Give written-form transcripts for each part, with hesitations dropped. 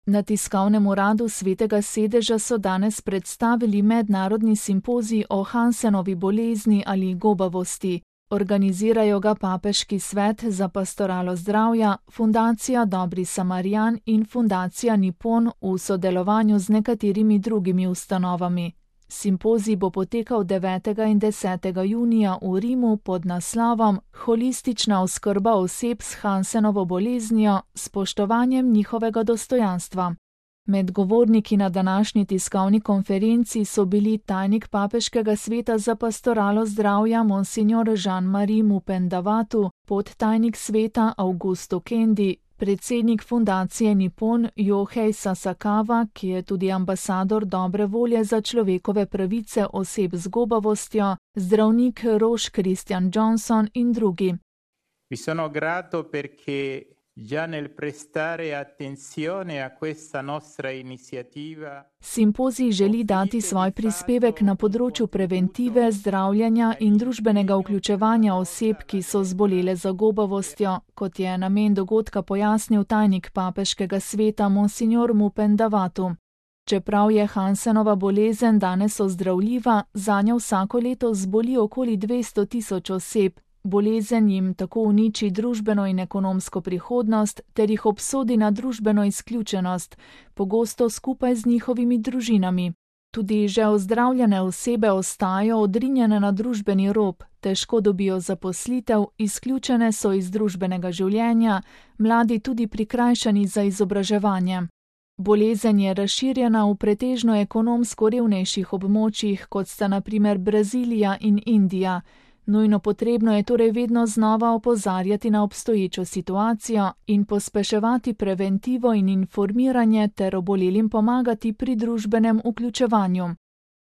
Na tiskovnem uradu Svetega sedeža so danes predstavili mednarodni simpozij o Hansenovi bolezni ali gobavosti. Organizirajo ga Papeški svet za pastoralo zdravja, Fundacija Dobri Samarijan in Fundacija Nippon v sodelovanju z nekaterimi drugimi ustanovami. Simpozij bo potekal 9. in 10. junija v Rimu pod naslovom Holistična oskrba oseb s Hansenovo boleznijo s spoštovanjem njihovega dostojanstva. Med govorniki na današnji tiskovni konferenci so bili tajnik Papeškega sveta za pastoralo zdravja Monsignor Jean-Marie Mupendavatu, podtajnik sveta Augusto Kendi, predsednik fundacije Nippon Yohei Sasakawa, ki je tudi ambasador dobre volje za človekove pravice oseb z gobavostjo, zdravnik Roche Christian Johnson in drugi. Vi sono grato perché già nel prestare attenzione a questa nostra iniziativa. Simpozij želi dati svoj prispevek na področju preventive, zdravljenja in družbenega vključevanja oseb, ki so zbolele za gobavostjo, kot je namen dogodka pojasnil tajnik Papeškega sveta Monsignor Mupendavatu. Čeprav je Hansenova bolezen danes ozdravljiva, zanjo vsako leto zboli okoli 200.000 oseb. Bolezen jim tako uniči družbeno in ekonomsko prihodnost ter jih obsodi na družbeno izključenost, pogosto skupaj z njihovimi družinami. Tudi že ozdravljene osebe ostajajo odrinjene na družbeni rob, težko dobijo zaposlitev, izključene so iz družbenega življenja, mladi tudi prikrajšani za izobraževanje. Bolezen je razširjena v pretežno ekonomsko revnejših območjih, kot sta na primer Brazilija in Indija. Nujno potrebno je torej vedno znova opozarjati na obstoječo situacijo in pospeševati preventivo in informiranje ter obolelim pomagati pri družbenem vključevanju.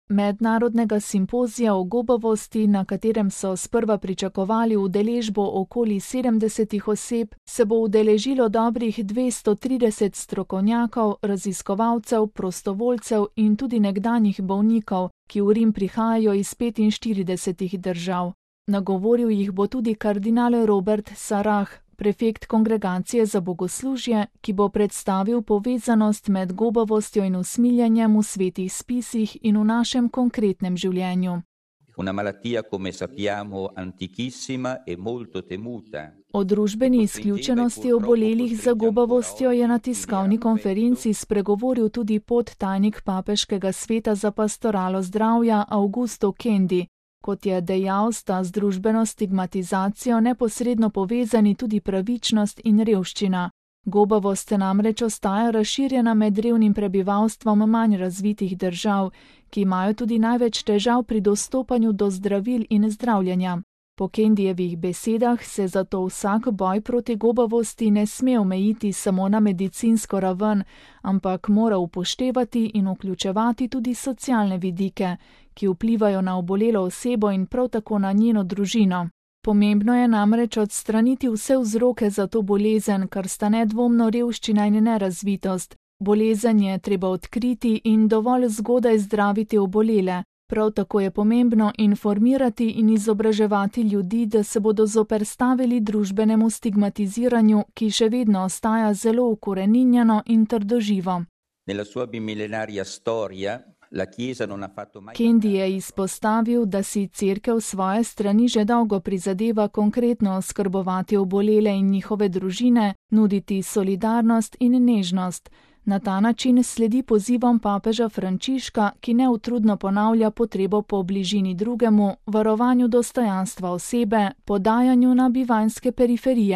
Mednarodnega simpozija o gobavosti, na katerem so sprva pričakovali udeležbo okoli 70 oseb, se bo udeležilo dobrih 230 strokovnjakov, raziskovalcev, prostovoljcev in tudi nekdanjih bolnikov, ki v Rim prihajajo iz 45 držav. Nagovoril jih bo tudi kardinal Robert Sarah, prefekt Kongregacije za bogoslužje, ki bo predstavil povezanost med gobavostjo in usmiljenjem v svetih spisih in v našem konkretnem življenju. Una malattia, come sappiamo, antichissima e molto temuta. O družbeni izključenosti obolelih za gobavostjo je na tiskovni konferenci spregovoril tudi podtajnik Papeškega sveta za pastoralo zdravja Augusto Kendi. Kot je dejal, sta z družbeno stigmatizacijo neposredno povezani tudi pravičnost in revščina. Gobavost namreč ostaja razširjena med revnim prebivalstvom manj razvitih držav, ki imajo tudi največ težav pri dostopanju do zdravil in zdravljenja. Po Kendijevih besedah se zato vsak boj proti gobavosti ne sme omejiti samo na medicinsko raven, ampak mora upoštevati in vključevati tudi socialne vidike, ki vplivajo na obolelo osebo in prav tako na njeno družino. Pomembno je namreč odstraniti vse vzroke za to bolezen, kar sta nedvomno revščina in nerazvitost. Bolezen je treba odkriti in dovolj zgodaj zdraviti obolele. Prav tako je pomembno informirati in izobraževati ljudi, da se bodo zoperstavili družbenemu stigmatiziranju, ki še vedno ostaja zelo ukoreninjeno in trdoživo. Kendi je izpostavil, da si Cerkev svoje strani že dolgo prizadeva konkretno oskrbovati obolele in njihove družine, nuditi solidarnost in nežnost. Na ta način sledi pozivom papeža Frančiška, ki neutrudno ponavlja potrebo po bližini drugemu, varovanju dostojanstva osebe, podajanju na bivanjske periferije.